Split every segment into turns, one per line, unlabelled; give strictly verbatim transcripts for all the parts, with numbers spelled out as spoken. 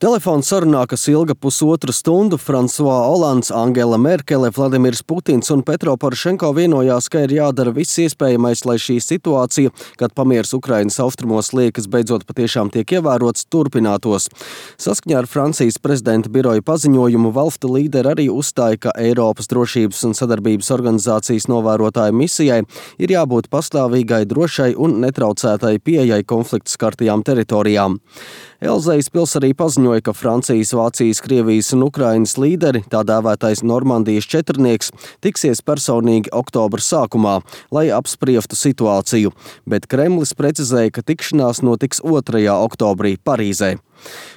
Telefona sarunā, kas ilga pusotru stundu, Fransuā Olands, Angela Merkele, Vladimirs Putins un Petro Porošenko vienojās, ka ir jādara viss iespējamais, lai šī situācija, kad pamieris Ukrainas austrumos liekas beidzot patiešām tiek ievērots, turpinātos. Saskaņā ar Francijas prezidenta biroja paziņojumu valstu līderi arī uzstāja, ka Eiropas drošības un sadarbības organizācijas novērotāju misijai ir jābūt pastāvīgai, drošai un netraucētai pieejai konfliktu skartajām teritorijām. Elzejas pils arī paziņoja, ka Francijas, Vācijas, Krievijas un Ukrainas līderi, tā dēvētais Normandijas četrnieks, tiksies personīgi oktobra sākumā, lai apspriestu situāciju, bet Kremlis precizēja, ka tikšanās notiks otrajā oktobrī Parīzē.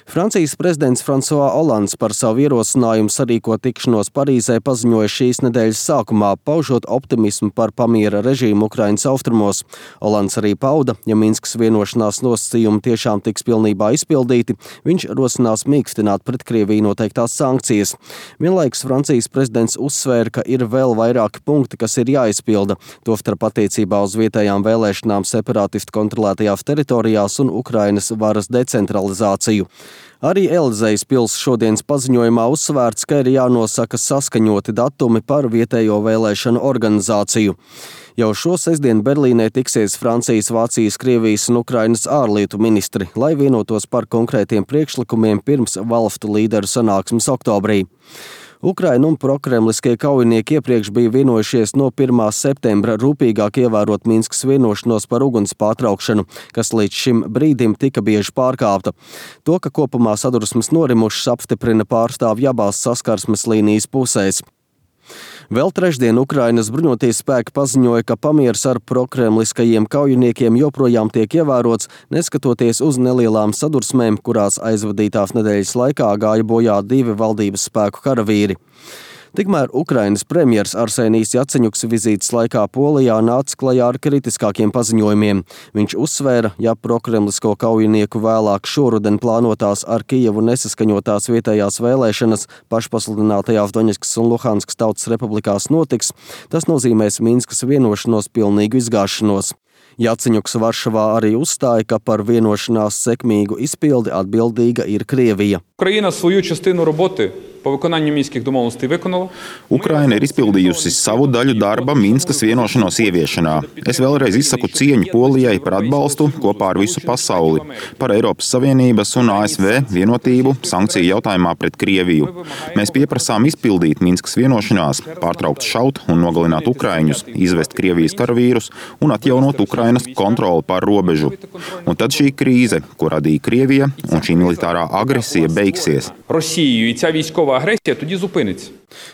Francijas prezidents Fransuā Olands par savu ierosinājumu sarīkot tikšanos Parīzē paziņoja šīs nedēļas sākumā, paužot optimismu par pamiera režīmu Ukrainas austrumos. Olands arī pauda, ja Minskas vienošanās nosacījumi tiešām tiks pilnībā izpildīti, viņš rosinās mīkstināt pret Krieviju noteiktās sankcijas. Vienlaikus Francijas prezidents uzsvēra, ka ir vēl vairāki punkti, kas ir jāizpilda, tostarp attiecībā uz vietējām vēlēšanām separātistu kontrolētajās teritorijās un Ukrainas varas decentralizāciju. Arī Elzejas pils šodienas paziņojumā uzsvērts, ka ir jānosaka saskaņoti datumi par vietējo vēlēšanu organizāciju. Jau šo sestdienu Berlīnē tiksies Francijas, Vācijas, Krievijas un Ukrainas ārlietu ministri, lai vienotos par konkrētiem priekšlikumiem pirms valstu līderu sanāksmes oktobrī. Ukraina un prokremliskie kaujinieki iepriekš bija vienojušies no pirmā septembra rūpīgāk ievērot Minskas vienošanos par uguns pārtraukšanu, kas līdz šim brīdim tika bieži pārkāpta. To, ka kopumā sadursmes norimušas, apstiprina pārstāvji abās saskarsmes līnijas pusēs. Vēl trešdien Ukrainas bruņoties spēki paziņoja, ka pamieris ar prokremliskajiem kaujiniekiem joprojām tiek ievērots, neskatoties uz nelielām sadursmēm, kurās aizvadītās nedēļas laikā gāja bojā divi valdības spēku karavīri. Tikmēr Ukrainas premjers Arsenijs Jaceņuks vizītes laikā Polijā nāca klajā ar kritiskākiem paziņojumiem. Viņš uzsvēra, ja prokremlisko kaujinieku vēlāk šoruden plānotās ar Kijevu nesaskaņotās vietējās vēlēšanas pašpasludinātajās Doņetskas un Luhanskas tautas republikās notiks, tas nozīmēs Minskas vienošanos pilnīgu izgāšanos. Jaceņuks Varšavā arī uzstāja, ka par vienošanās sekmīgu izpildi atbildīga ir Krievija.
Ukraina свою частину роботи по виконанню мінських домовленостей виконала.
Ukraina ir izpildījusi savu daļu darba Minskas vienošanos ieviešanā. Es vēlreiz izsaku cieņu Polijai par atbalstu kopā ar visu pasauli, par Eiropas Savienības un A S V vienotību sankciju jautājumā pret Krieviju. Mēs pieprasām izpildīt Minskas vienošanās, pārtraukt šaut un nogalināt ukraiņus, izvest Krievijas karavīrus un atjaunot Ukrainas kontroli pār robežu. Un tad šī krīze, ko radīja Krievija, un šī militārā agresija beigsies.
Росією і ця військова агресія тоді зупиниться.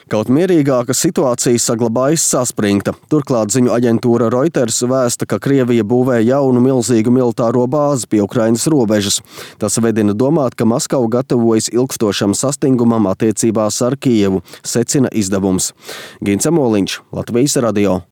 Kaut mierīgāka situācija saglabājas saspringta. Turklāt ziņu aģentūra Reuters vēsta, ka Krievija būvē jaunu milzīgu militāro bāzi pie Ukrainas robežas. Tas vedina domāt, ka Maskava gatavojas ilgstošam sastingumam attiecībās ar Kijevu, secina izdevums. Gints Emoliņš, Latvijas radio.